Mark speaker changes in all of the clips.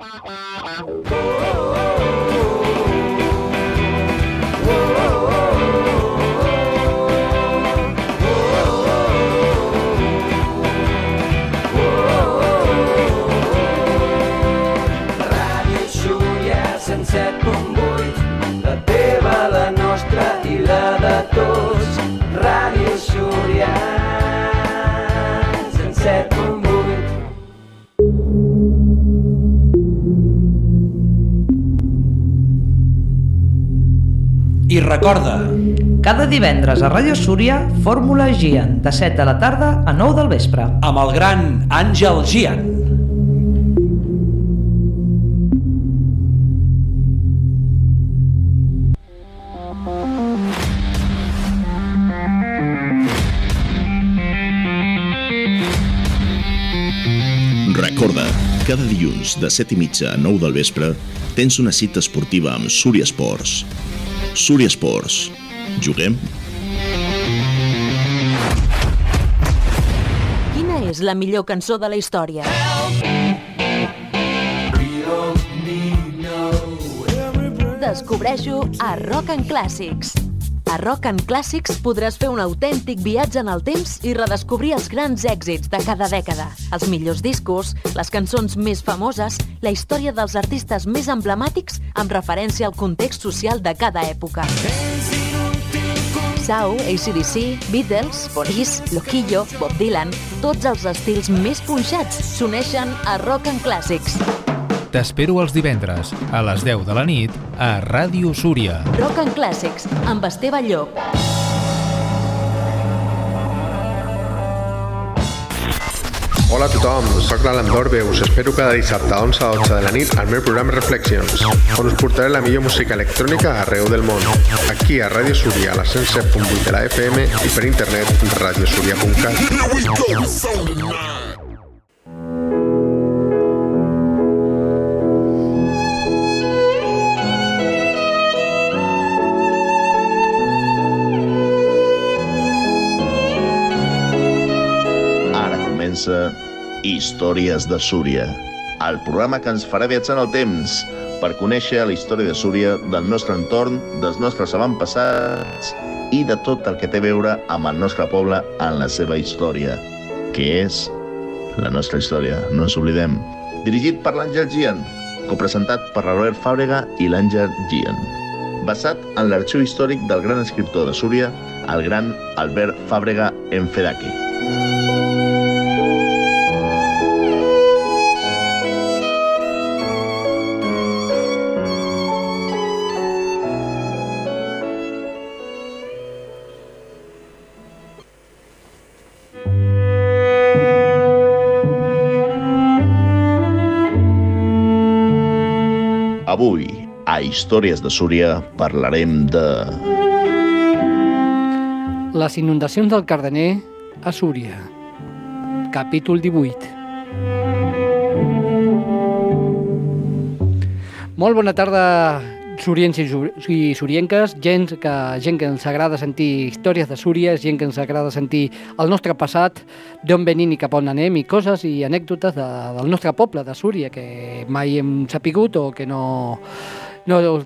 Speaker 1: Ràdio Súria 107.8, la teva, la nostra i la de tots. Ràdio Súria 107.8.
Speaker 2: I recorda,
Speaker 3: cada divendres a Ràdio Súria, Fórmula Gian, de 7 de la tarda a 9 del vespre.
Speaker 2: amb el gran Àngel Gian.
Speaker 4: Recorda, cada dilluns de 7:30 a 9 del vespre tens una cita esportiva amb Súria Esports. Súria Esports. Juguem?
Speaker 5: Quina és la millor cançó de la història? Descobreix-ho a Rock and Classics. A Rock and Classics podràs fer un autèntic viatge en el temps i redescobrir els grans èxits de cada dècada, els millors discos, les cançons més famoses, la història dels artistes més emblemàtics amb referència al context social de cada època. Sau, AC/DC, Beatles, Police, Loquillo, Bob Dylan, tots els estils més punxats s'uneixen a Rock and Classics.
Speaker 6: T'espero els divendres a les 10 de la nit a Ràdio Súria.
Speaker 5: Rock and Classics, amb Esteve Llop.
Speaker 7: Hola a tothom, soc l'Alan Dorbe, us espero cada dissabte a 11 a 12 de la nit al meu programa Reflections, on us portaré la millor música electrònica arreu del món. Aquí a Ràdio Súria, a la 107.8 de la FM i per internet radiosuria.cat.
Speaker 4: Històries de Súria, el programa que ens farà viatjar en el temps per conèixer la història de Súria, del nostre entorn, dels nostres avantpassats i de tot el que té a veure amb el nostre poble en la seva història, que és la nostra història, no ens oblidem. Dirigit per l'Àngel Gian, copresentat per l'Albert Fàbrega i l'Àngel Gian. Basat en l'arxiu històric del gran escriptor de Súria, el gran Albert Fàbrega Enfedaki. Avui, a Històries de Súria, parlarem de...
Speaker 8: Les inundacions del Cardener a Súria. Capítol 18. Molt bona tarda, suriens i surienques, gent que ens agrada sentir històries de Súria, gent que ens agrada sentir el nostre passat, d'on venim i cap on anem, i coses i anècdotes del nostre poble, de Súria, que mai hem sapigut o que no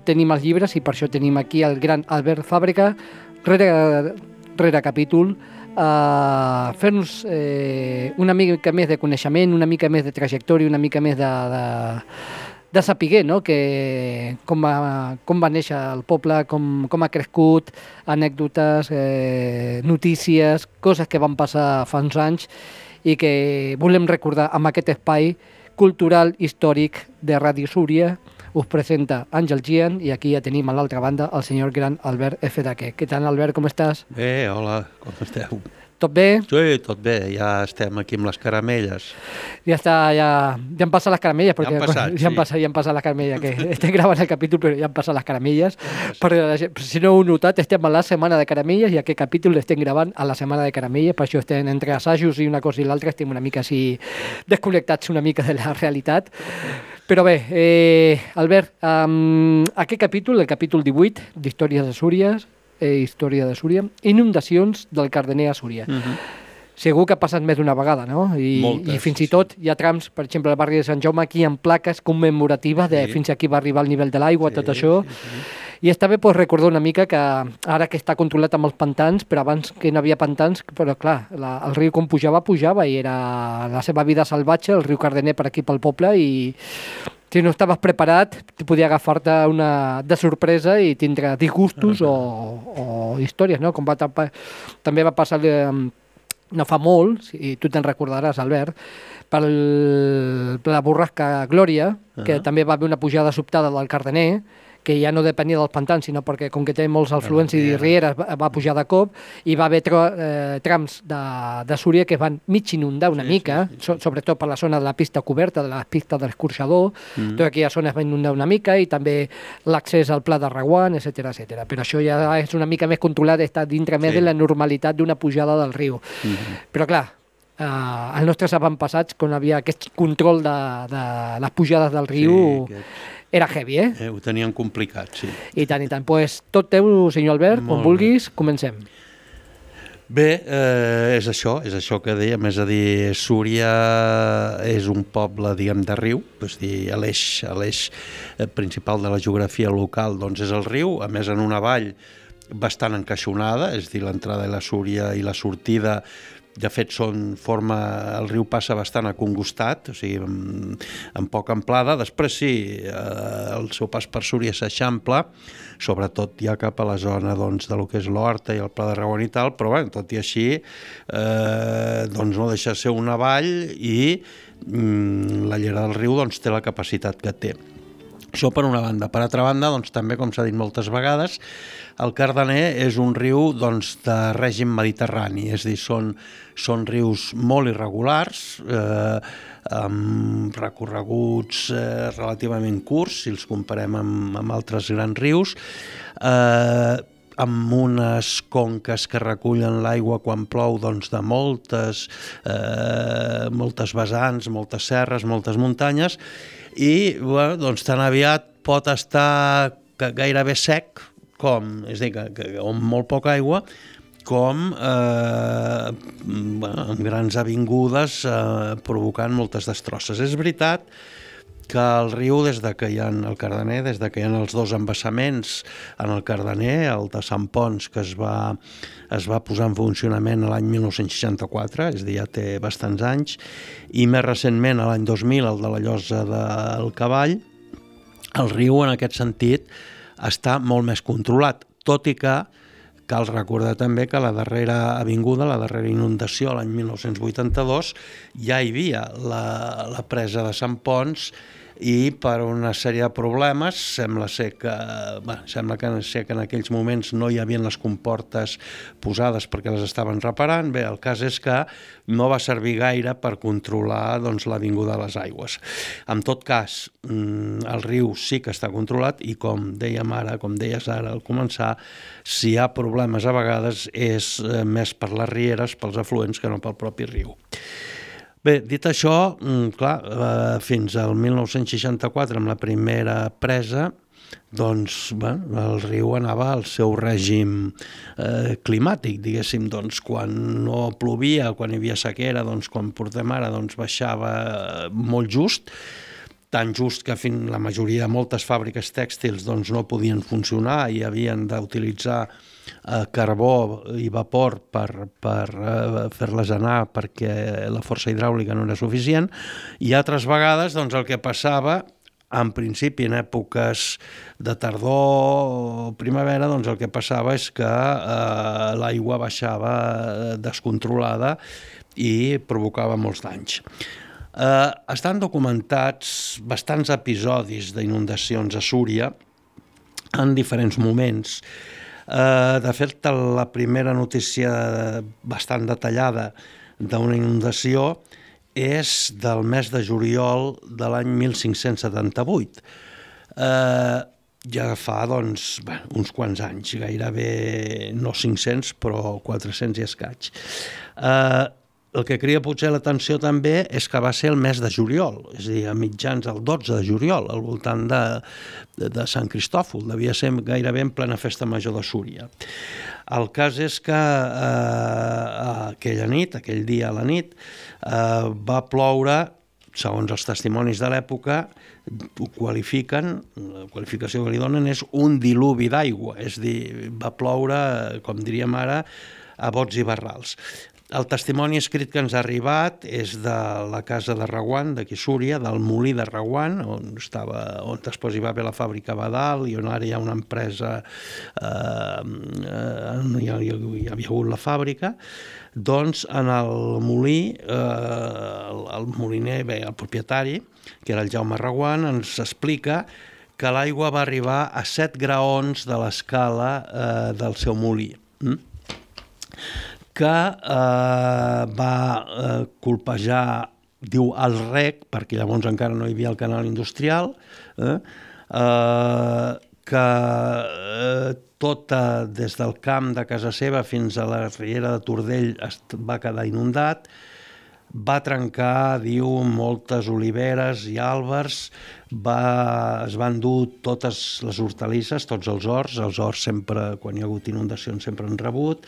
Speaker 8: tenim els llibres, i per això tenim aquí el gran Albert Fàbrega, rere capítol, a fer-nos una mica més de coneixement, una mica més de trajectòria, una mica més de saber, no? Com va néixer el poble, com ha crescut, anècdotes, notícies, coses que van passar fa uns anys i que volem recordar amb aquest espai cultural històric de Ràdio Súria. Us presenta Àngel Gian i aquí ja tenim a l'altra banda el senyor gran Albert Enfedaki. Què tal, Albert, com estàs?
Speaker 9: Bé, hola, com esteu?
Speaker 8: Tot bé?
Speaker 9: Sí, tot bé, ja estem aquí amb les caramelles.
Speaker 8: Ja han passat les caramelles, perquè ja han passat les caramelles, que estem gravant el capítol però ja han passat les caramelles. Perquè, si no ho heu notat, estem a la setmana de caramelles i aquest capítol l'estem gravant a la setmana de caramelles, per això estem entre assajos i una cosa i l'altra, estem una mica així desconnectats una mica de la realitat. Però bé, Albert, aquest capítol, el capítol 18 d'Històries de Súria, Història de Súria, inundacions del Cardener a Súria. segur que ha passat més d'una vegada, no? I fins i tot hi ha trams, per exemple, al barri de Sant Jaume, aquí amb plaques commemoratives de fins aquí va arribar el nivell de l'aigua, tot això. I està bé recordar una mica que ara que està controlat amb els pantans, però abans que no havia pantans, però clar, el riu com pujava i era la seva vida salvatge, el riu Cardener per aquí pel poble, i si no estaves preparat, podia agafar-te de sorpresa i tindre disgustos o històries, no? Com també va passar no fa molt, i tu te'n recordaràs, Albert, per la borrasca Glòria, que també va haver una pujada sobtada del Cardener, que ja no depenia dels pantans, sinó perquè com que té molts afluents i rieres va pujar de cop, i va haver trams de Súria que van mig inundar una mica, sobretot per la zona de la pista coberta, de la pista de l'escorxador, tota aquella zona es va inundar una mica, i també l'accés al Pla de Reguant, etc. Però això ja és una mica més controlat, està dintre més de la normalitat d'una pujada del riu. Però clar, els nostres avantpassats, quan havia aquest control de les pujades del riu, era heavy,
Speaker 9: Ho tenien complicat, sí.
Speaker 8: I tant. Pues tot teu, senyor Albert, quan vulguis, comencem.
Speaker 9: Bé, és això que dèiem, és a dir, Súria és un poble, diguem, de riu, és a dir, l'eix principal de la geografia local doncs és el riu, a més en una vall bastant encaixonada, és a dir, l'entrada de la Súria i la sortida, de fet, el riu passa bastant acongostat, o sigui, amb poca amplada. Després sí, el seu pas per Súria s'eixampla, sobretot ja cap a la zona doncs, de lo que és l'Horta i el Pla de Reguant i tal, però bé, tot i així doncs no deixa de ser una vall i la llera del riu doncs, té la capacitat que té. Això per una banda. Per altra banda, doncs, també, com s'ha dit moltes vegades, el Cardener és un riu doncs, de règim mediterrani, és a dir, són rius molt irregulars, amb recorreguts relativament curts, si els comparem amb altres grans rius, amb unes conques que recullen l'aigua quan plou doncs, de moltes vessants, moltes serres, moltes muntanyes, i bueno, doncs, tan aviat pot estar gairebé sec, és a dir, amb molt poca aigua, com amb grans avingudes provocant moltes destrosses. És veritat que el riu, des de que hi ha el Cardener, des de que hi ha els dos embassaments en el Cardener, el de Sant Ponç, que es va posar en funcionament l'any 1964, és a dir, ja té bastants anys, i més recentment, l'any 2000, el de la Llosa del Cavall, el riu, en aquest sentit, està molt més controlat, tot i que cal recordar també que la darrera avinguda, la darrera inundació, l'any 1982, ja hi havia la presa de Sant Ponç, i per una sèrie de problemes sembla que en aquells moments no hi havia les comportes posades perquè les estaven reparant. Bé, el cas és que no va servir gaire per controlar doncs, l'avinguda de les aigües. En tot cas, el riu sí que està controlat i com deies ara al començar, si hi ha problemes a vegades és més per les rieres, pels afluents, que no pel propi riu. Bé, dit això, clar, fins al 1964, amb la primera presa, doncs, el riu anava al seu règim climàtic, diguéssim, doncs, quan no plovia, quan hi havia sequera, doncs, quan portem ara, doncs, baixava molt just, tan just que la majoria de moltes fàbriques tèxtils doncs, no podien funcionar i havien d'utilitzar carbó i vapor per fer-les anar perquè la força hidràulica no era suficient, i altres vegades doncs, el que passava, en principi en èpoques de tardor o primavera, doncs el que passava és que l'aigua baixava descontrolada i provocava molts danys. Estan documentats bastants episodis d'inundacions a Súria en diferents moments. De fet, la primera notícia bastant detallada d'una inundació és del mes de juliol de l'any 1578. Ja fa doncs, uns quants anys, gairebé no 500, però 400 i escaig. el que cria potser l'atenció també és que va ser el mes de juliol, és a dir, a mitjans el 12 de juliol, al voltant de Sant Cristòfol, devia ser gairebé en plena festa major de Súria. El cas és que aquella nit, aquell dia a la nit, va ploure, segons els testimonis de l'època, ho qualifiquen, la qualificació que li donen és un diluvi d'aigua, és a dir, va ploure, com diríem ara, a bots i barrals. El testimoni escrit que ens ha arribat és de la casa de Reguant, d'aquí Súria, del molí de Reguant, on després hi va haver la fàbrica Badal i on ara hi ha una empresa, hi havia hagut la fàbrica. Doncs en el molí, el moliner, el propietari, que era el Jaume Reguant, ens explica que l'aigua va arribar a 7 graons de l'escala del seu molí, que va colpejar, diu, el rec, perquè llavors encara no hi havia el canal industrial, que tota, des del camp de casa seva fins a la riera de Tordell va quedar inundat, va trencar, diu, moltes oliveres i àlbers, es van dur totes les hortalisses, tots els horts sempre, quan hi ha hagut inundacions, sempre han rebut,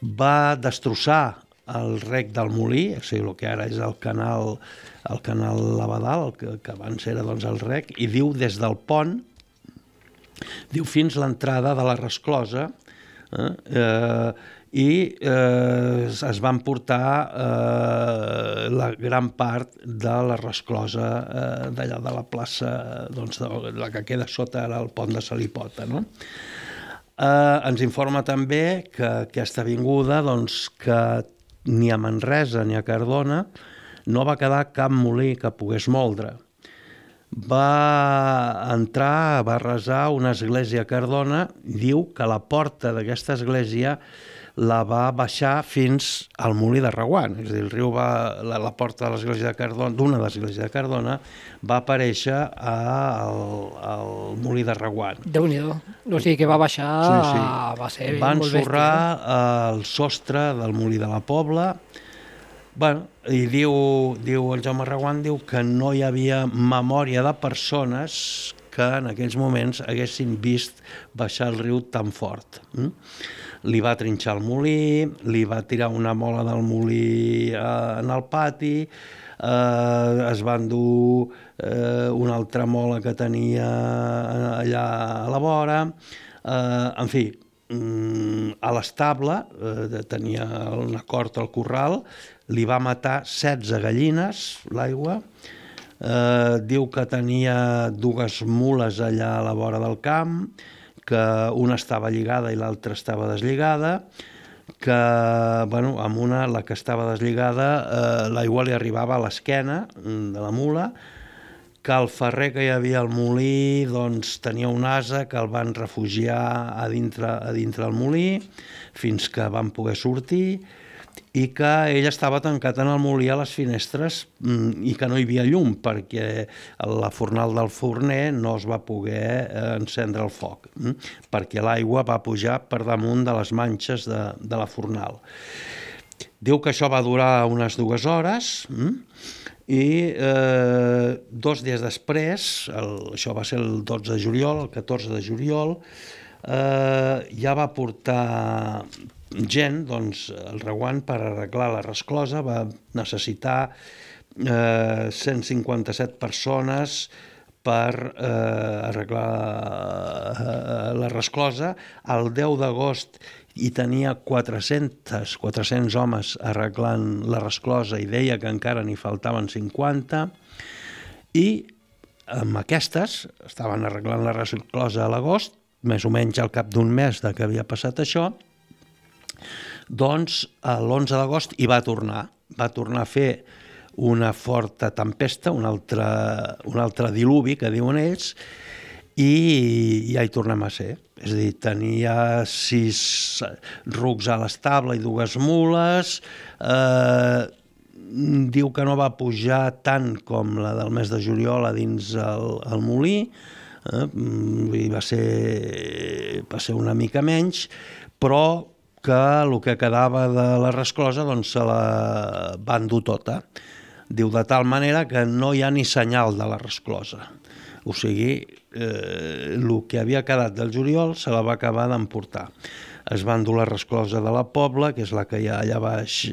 Speaker 9: va destrossar el rec del molí, o sigui, el que ara és el canal Labadal, que abans era doncs, el rec, i diu des del pont, diu fins l'entrada de la resclosa, i es van portar la gran part de la resclosa d'allà de la plaça, doncs, la que queda sota el pont de Salipota, no? Ens informa també que aquesta avinguda, doncs, que ni a Manresa ni a Cardona no va quedar cap molí que pogués moldre. Va entrar, va resar una església a Cardona, diu que la porta d'aquesta església la va baixar fins al molí de Reguant, és a dir, el riu la porta de l'església de Cardona, d'una de l'església de Cardona, va aparèixer al molí de Reguant.
Speaker 8: Déu-n'hi-do, o sigui que va baixar, sí. Va ser
Speaker 9: van
Speaker 8: molt bèstia.
Speaker 9: Va ensorrar el sostre del molí de la Pobla, bueno, i diu el Jaume Reguant, diu que no hi havia memòria de persones que en aquells moments haguessin vist baixar el riu tan fort. Li va trinxar el molí, li va tirar una mola del molí en el pati, es va endur una altra mola que tenia allà a la vora, en fi, a l'estable, tenia una cort al corral, li va matar 16 gallines, l'aigua, diu que tenia 2 mules allà a la vora del camp, que una estava lligada i l'altra estava deslligada, que, bueno, amb una, la que estava deslligada, l'aigua li arribava a l'esquena de la mula, que el ferrer que hi havia al molí doncs, tenia un ase que el van refugiar a dintre del molí fins que van poder sortir, i que ell estava tancat en el molí a les finestres i que no hi havia llum perquè la fornal del forner no es va poder encendre el foc, perquè l'aigua va pujar per damunt de les manxes de la fornal. Diu que això va durar unes 2 hores i 2 dies després, això va ser el 12 de juliol, el 14 de juliol, ja va portar gent, doncs, el Reguant, per arreglar la resclosa, va necessitar 157 persones per arreglar la resclosa. El 10 d'agost hi tenia 400 homes arreglant la resclosa i deia que encara n'hi faltaven 50, i amb aquestes estaven arreglant la resclosa a l'agost, més o menys al cap d'un mes de que havia passat això. Doncs l'11 d'agost hi va tornar a fer una forta tempesta, un altre diluvi, que diuen ells, i ja hi tornem a ser. És a dir, tenia 6 rucs a l'estable i 2 mules, diu que no va pujar tant com la del mes de juliol a dins el molí, va ser una mica menys, però que el que quedava de la resclosa doncs se la van dur tota. Diu, de tal manera que no hi ha ni senyal de la resclosa. O sigui, el que havia quedat del juliol se la va acabar d'emportar. Es va endur la resclosa de la Pobla, que és la que hi ha allà baix,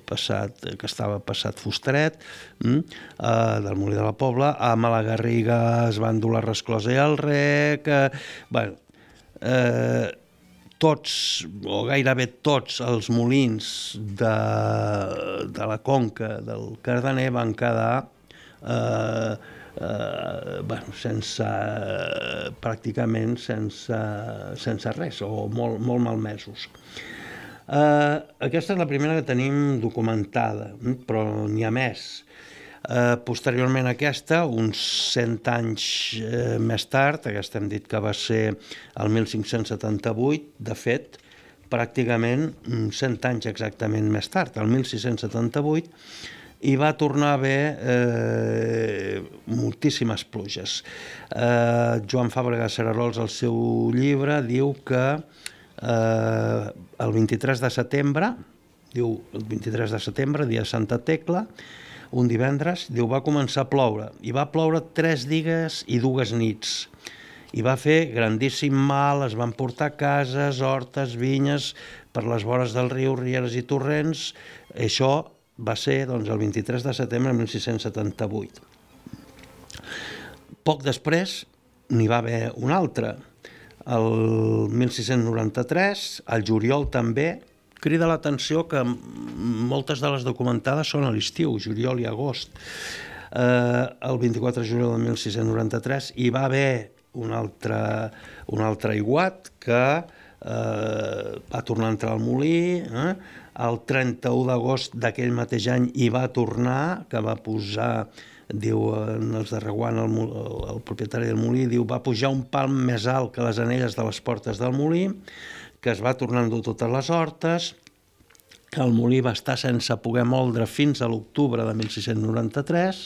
Speaker 9: que estava passat Fusteret, del molí de la Pobla. A Malagarriga es va endur la resclosa i el rec. Tots, o gairebé tots, els molins de la conca del Cardener van quedar pràcticament sense res, o molt malmesos. Aquesta és la primera que tenim documentada, però n'hi ha més. Posteriorment a aquesta, uns 100 anys més tard, aquesta hem dit que va ser el 1578, de fet, pràcticament 100 anys exactament més tard, el 1678, hi va tornar a haver moltíssimes pluges. Joan Fàbrega Cerarols, al seu llibre, diu que el 23 de setembre, dia de Santa Tecla, un divendres, diu, va començar a ploure, i va ploure 3 dies i 2 nits. I va fer grandíssim mal, es van portar cases, hortes, vinyes, per les vores del riu, rieres i torrents. Això va ser doncs, el 23 de setembre de 1678. Poc després n'hi va haver un altre. El 1693, al juliol també, crida l'atenció que moltes de les documentades són a l'estiu, juliol i agost. El 24 de juliol de 1693 hi va haver un altre aiguat que va tornar a entrar al molí. El 31 d'agost d'aquell mateix any hi va tornar, que va posar, diu els de Reguant, el propietari del molí, diu, va pujar un palm més alt que les anelles de les portes del molí, que es va tornar a endur totes les hortes, que el molí va estar sense poder moldre fins a l'octubre de 1693,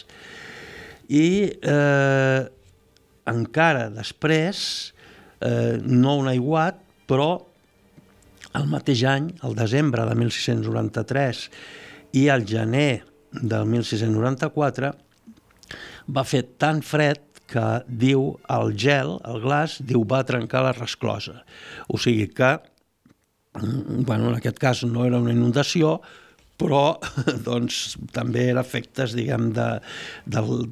Speaker 9: i encara després, no un aiguat, però el mateix any, el desembre de 1693 i el gener del 1694, va fer tan fred que, diu, el gel, el glaç, diu, va trencar la resclosa. O sigui que, en aquest cas no era una inundació, però doncs, també era efectes, diguem, de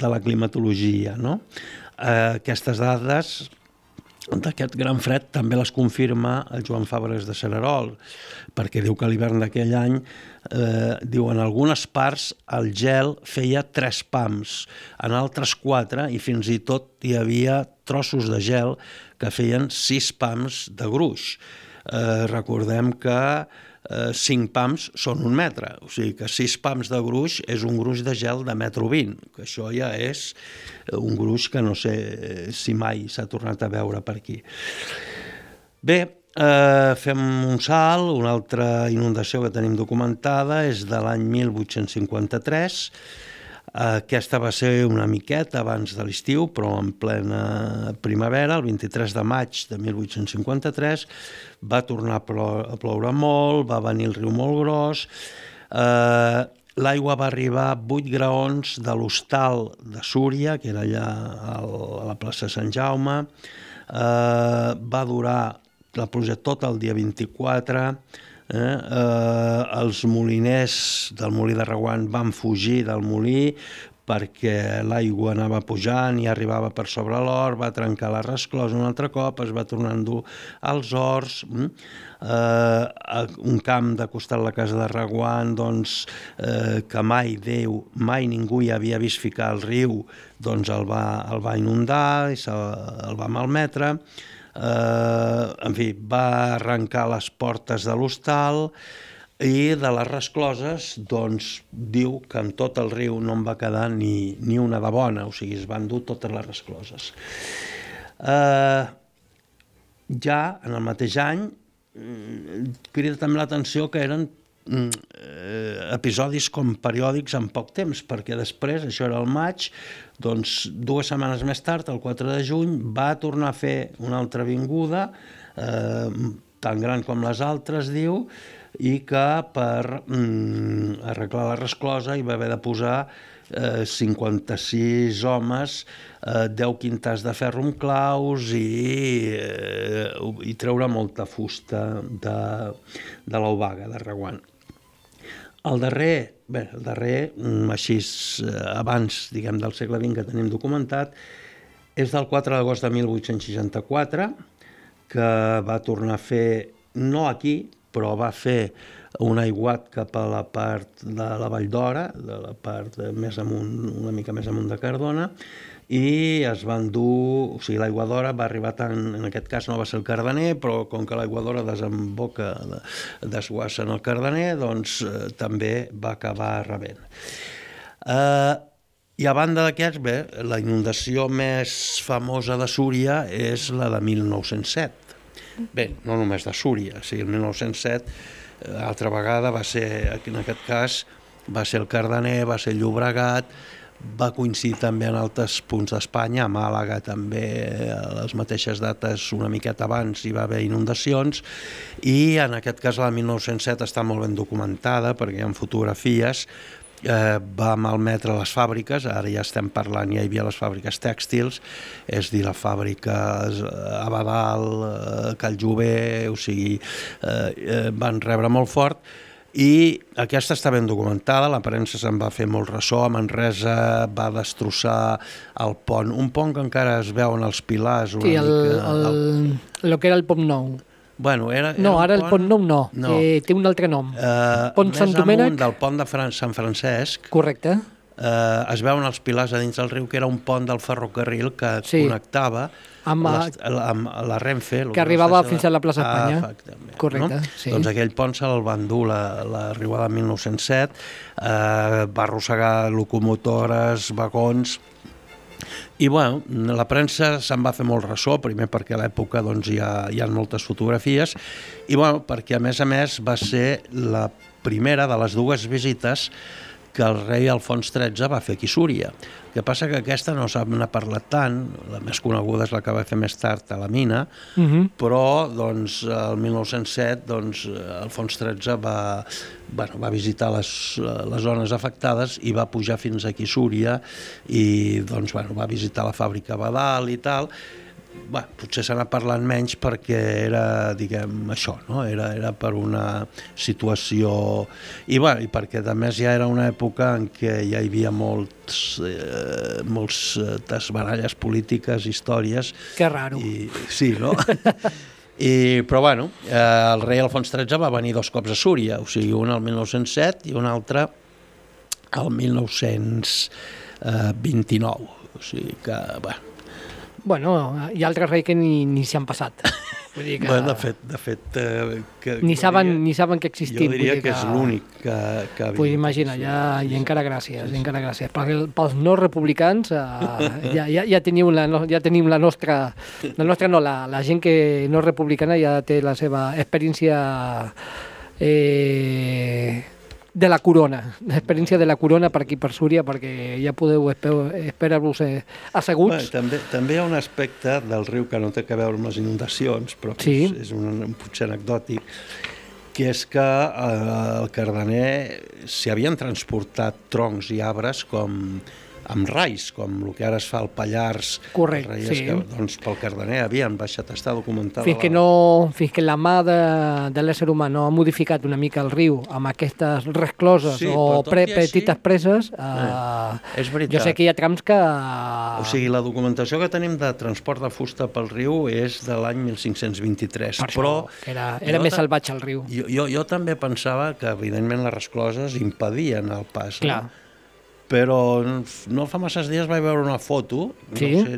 Speaker 9: la climatologia, no? Aquestes dades d'aquest gran fred també les confirma el Joan Fàbregas de Cererol, perquè diu que l'hivern d'aquell any, diu, en algunes parts el gel feia 3 pams, en altres 4, i fins i tot hi havia trossos de gel que feien 6 pams de gruix. Recordem que 5 pams són 1 metre, o sigui que 6 pams de gruix és un gruix de gel de 1,20 m, que això ja és un gruix que no sé si mai s'ha tornat a veure per aquí. Bé, fem un salt, una altra inundació que tenim documentada és de l'any 1853. Aquesta va ser una miqueta abans de l'estiu, però en plena primavera, el 23 de maig de 1853, va tornar a ploure molt, va venir el riu molt gros, l'aigua va arribar a 8 graons de l'hostal de Súria, que era allà a la plaça Sant Jaume, va durar la pluja tot el dia 24, els moliners del molí de Reguant van fugir del molí perquè l'aigua anava pujant i arribava per sobre l'hort, va trencar la resclosa un altre cop, es va tornar a endur als horts. Un camp de costat la casa de Reguant, doncs, que mai ningú hi havia vist ficar al riu, doncs el va inundar i el va malmetre. En fi, va arrencar les portes de l'hostal i de les rescloses, doncs, diu que en tot el riu no en va quedar ni una de bona, o sigui, es van dur totes les rescloses. Ja en el mateix any crida també l'atenció que eren episodis com periòdics en poc temps, perquè després, això era el maig, doncs 2 setmanes més tard, el 4 de juny, va tornar a fer una altra vinguda, tan gran com les altres, diu, i que per arreglar la resclosa hi va haver de posar 56 homes, 10 quintars de ferro amb claus i treure molta fusta de l'Obaga, de Reguant. El darrer, així abans, diguem, del segle XX que tenim documentat, és del 4 d'agost de 1864, que va tornar a fer, no aquí, però va fer un aiguat cap a la part de la Vall d'Hora, de la part més amunt, una mica més amunt de Cardona, i es van dur, o sigui, l'aigua d'Hora va arribar tant, en aquest cas no va ser el Cardener, però com que l'aigua d'Hora desemboca, desguassa en el Cardener, doncs també va acabar rebent. I a banda d'aquests, bé, la inundació més famosa de Súria és la de 1907. Bé, no només de Súria, o sigui, el 1907, altra vegada va ser, en aquest cas, va ser el Cardener, va ser Llobregat, va coincidir també en altres punts d'Espanya, a Màlaga també, a les mateixes dates, una miqueta abans hi va haver inundacions, i en aquest cas la de 1907 està molt ben documentada perquè hi ha fotografies, va malmetre les fàbriques, ara ja estem parlant, ja hi havia les fàbriques tèxtils, és dir, la fàbrica Abadal, Calljover, o sigui, van rebre molt fort, i aquesta està ben documentada, la premsa se'n va fer molt ressò, a Manresa va destrossar el pont, un pont que encara es veuen els pilars.
Speaker 8: Sí, el que era el Pont Nou.
Speaker 9: Bueno,
Speaker 8: no, ara el Pont Nou no, té un altre nom. Pont Sant Domènec.
Speaker 9: Més amunt del pont de Sant Francesc.
Speaker 8: Correcte.
Speaker 9: Es veuen els pilars a dins del riu, que era un pont del ferrocarril que connectava amb la Renfe.
Speaker 8: Que arribava fins a la plaça Espanya. Correcte, sí.
Speaker 9: Doncs aquell pont se'l van dur l'arribada de 1907, va arrossegar locomotores, vagons, i bueno, la premsa se'n va fer molt ressò, primer perquè a l'època hi ha moltes fotografies, i bueno, perquè a més va ser la primera de les dues visites que el rei Alfons XIII va fer aquí a Súria. El que passa que aquesta no se n'ha parlat tant, la més coneguda és la que va fer més tard a la mina, però doncs, el 1907 Alfons XIII va visitar les zones afectades i va pujar fins aquí a Súria i doncs, va visitar la fàbrica Badal i tal. Potser se n'ha parlat menys perquè era, diguem, això, no? Era per una situació... I perquè, a més, ja era una època en què ja hi havia moltes baralles polítiques, històries...
Speaker 8: Que raro.
Speaker 9: Sí, no? Però, bueno, el rei Alfons XIII va venir 2 cops a Súria, o sigui, un al 1907 i un altre al 1929. O sigui que,
Speaker 8: Bueno, hi ha altres reis que ni s'hi han passat. Vull dir que...
Speaker 9: Bueno, de fet...
Speaker 8: Ni saben que existim.
Speaker 9: Jo diria que és l'únic que...
Speaker 8: Pues imagina, i encara gràcies, Pels no republicans ja tenim la nostra... La gent que no és republicana ja té la seva experiència... de la corona, l'experiència de la corona per aquí per Súria, perquè ja podeu esperar-vos asseguts.
Speaker 9: També hi ha un aspecte del riu que no té a veure amb les inundacions, però és potser anecdòtic, que és que al Cardener s'hi havien transportat troncs i arbres amb rais, com el que ara es fa al Pallars.
Speaker 8: Correcte, sí.
Speaker 9: Doncs pel Cardener havien baixat, està documentada.
Speaker 8: Fins que la mà de l'ésser humà no ha modificat una mica el riu amb aquestes rescloses petites preses,
Speaker 9: és veritat.
Speaker 8: Jo sé que hi ha trams que...
Speaker 9: O sigui, la documentació que tenim de transport de fusta pel riu és de l'any 1523.
Speaker 8: Però era més salvatge el riu.
Speaker 9: Jo també pensava que, evidentment, les rescloses impedien el pas.
Speaker 8: Clar.
Speaker 9: Però no fa masses dies vaig veure una foto,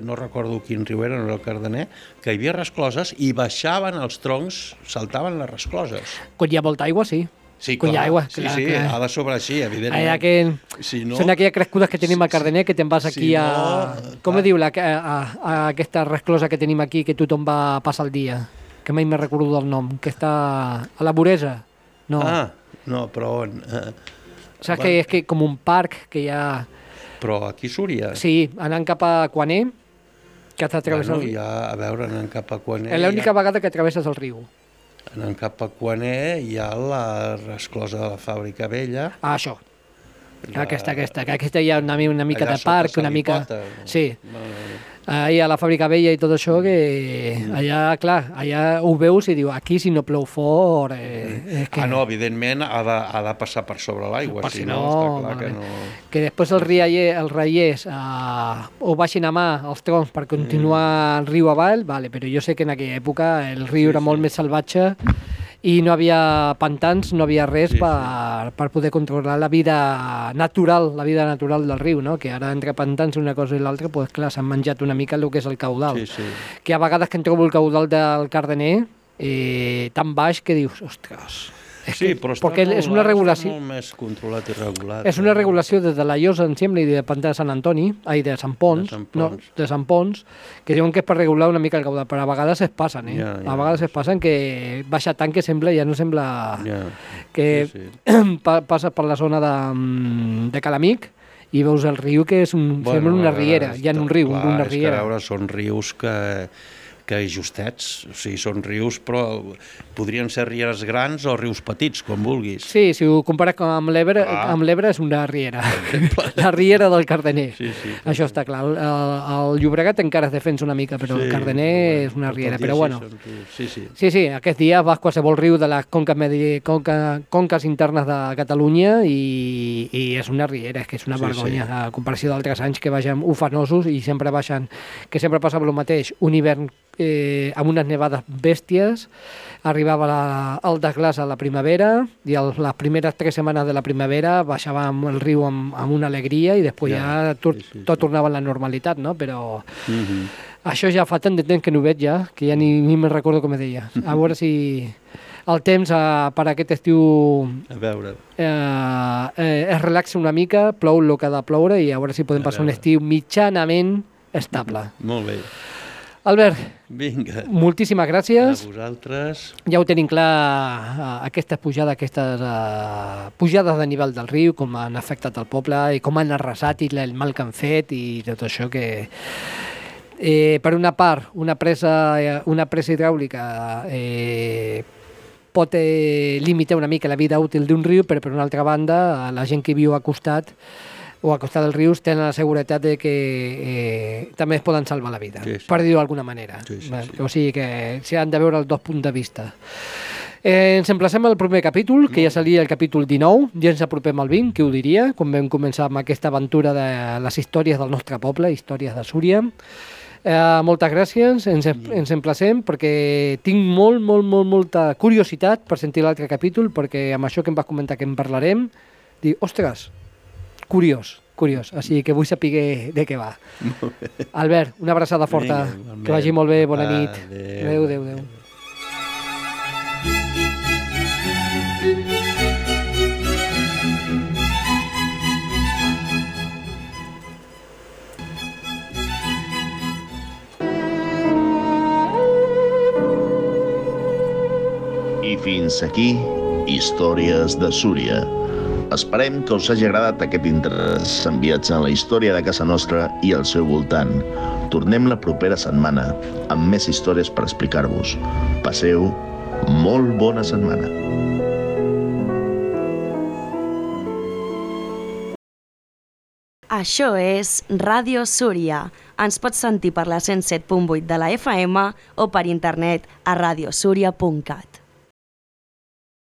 Speaker 9: no recordo quin riu era, no era el Cardener, que hi havia rescloses i baixaven els troncs, saltaven les rescloses.
Speaker 8: Quan hi ha molta aigua, sí.
Speaker 9: Sí, clar, ha de sobre així, evidentment.
Speaker 8: Són aquelles crescudes que tenim al Cardener, que te'n vas aquí a... Com diu aquesta resclosa que tenim aquí, que tothom va passar el dia? Que mai me recordo del nom, que està a la Voresa.
Speaker 9: No, però on...
Speaker 8: Saps que és com un parc que hi ha...
Speaker 9: Però aquí a Súria?
Speaker 8: Sí, anant cap a Quaner, que has de travessar...
Speaker 9: Bueno, ja, a veure, anant cap a Quaner...
Speaker 8: És l'única vegada que travesses el riu.
Speaker 9: anant cap a Quaner hi ha la resclosa de la Fàbrica Vella.
Speaker 8: Ah, això. Aquesta, que hi ha una mica de parc, una mica... Sí. Ahí a la Fàbrica Vella i tot això, que allà, clar, allà ho veus i diu, aquí si no plou fort... és que...
Speaker 9: Ah, no, evidentment ha de passar per sobre l'aigua, si no, està clar que no...
Speaker 8: Que després els reiers ho baixin a mà els troncs per continuar el riu avall, vale, però jo sé que en aquella època el riu era molt més salvatge i no havia pantans, no havia res per poder controlar la vida natural del riu, no? Que ara entre pantans una cosa i l'altra, doncs clar, s'han menjat una mica el que és el caudal. Que a vegades que em trobo el caudal del Cardener tan baix que dius, ostres...
Speaker 9: Sí, però està molt més controlat i regulat.
Speaker 8: És una regulació des de la Llosa, em sembla, i de Pantà de Sant Antoni, de Sant Pons, que diuen que és per regular una mica el caudal, però a vegades es passen, a vegades es passen que baixa tant que sembla, ja no sembla que passa per la zona de Calamic i veus el riu que sembla una riera, ja en un riu, una riera.
Speaker 9: És que a veure, són rius que justets, o sigui, són rius, però podrien ser rieres grans o rius petits, com vulguis.
Speaker 8: Sí, si ho compares amb l'Ebre és una riera, la riera del Cardener. Això està clar. El Llobregat encara es defensa una mica, però el Cardener és una riera, però bueno. Sí, aquest dia vas qualsevol riu de les conques internes de Catalunya i és una riera, és que és una vergonya, a comparació d'altres anys que baixen ufanosos i sempre baixen, que sempre passava el mateix, un hivern amb unes nevades bèsties, arribava el desglàs a la primavera i les primeres 3 setmanes de la primavera baixava el riu amb una alegria i després ja tot tornava a la normalitat, no? Però això ja fa tant de temps que no ho veig ja, que ja ni me'n recordo com deia. A veure si el temps per aquest estiu es relaxa una mica, plou el que ha de ploure i a veure si podem passar un estiu mitjanament estable.
Speaker 9: Molt bé.
Speaker 8: Albert,
Speaker 9: vinga,
Speaker 8: moltíssimes gràcies.
Speaker 9: A vosaltres.
Speaker 8: Ja ho tenim clar, aquestes pujades de nivell del riu, com han afectat el poble i com han arrasat i el mal que han fet i tot això que... per una part, una presa hidràulica pot limitar una mica la vida útil d'un riu, però per una altra banda, la gent que viu a costat dels rius tenen la seguretat de que també es poden salvar la vida, per dir-ho d'alguna manera. O sigui que s'hi han de veure els dos punts de vista. Ens emplacem al primer capítol, que ja seria el capítol 19, ja ens apropem al 20, qui ho diria, quan vam començar amb aquesta aventura de les històries del nostre poble, històries de Súria. Moltes gràcies, ens emplacem perquè tinc molta curiositat per sentir l'altre capítol, perquè amb això que em vas comentar que en parlarem, dic, ostres, curiós, així que vull saber de què va. Albert, una abraçada forta, que vagi molt bé, bona nit. Adéu.
Speaker 4: I fins aquí, Històries de Súria. Esperem que us hagi agradat aquest interessant viatge en la història de casa nostra i al seu voltant. Tornem la propera setmana amb més històries per explicar-vos. Passeu molt bona setmana.
Speaker 5: Això és Ràdio Súria. Ens pots sentir per la 107.8 de la FM o per internet a radiosúria.cat.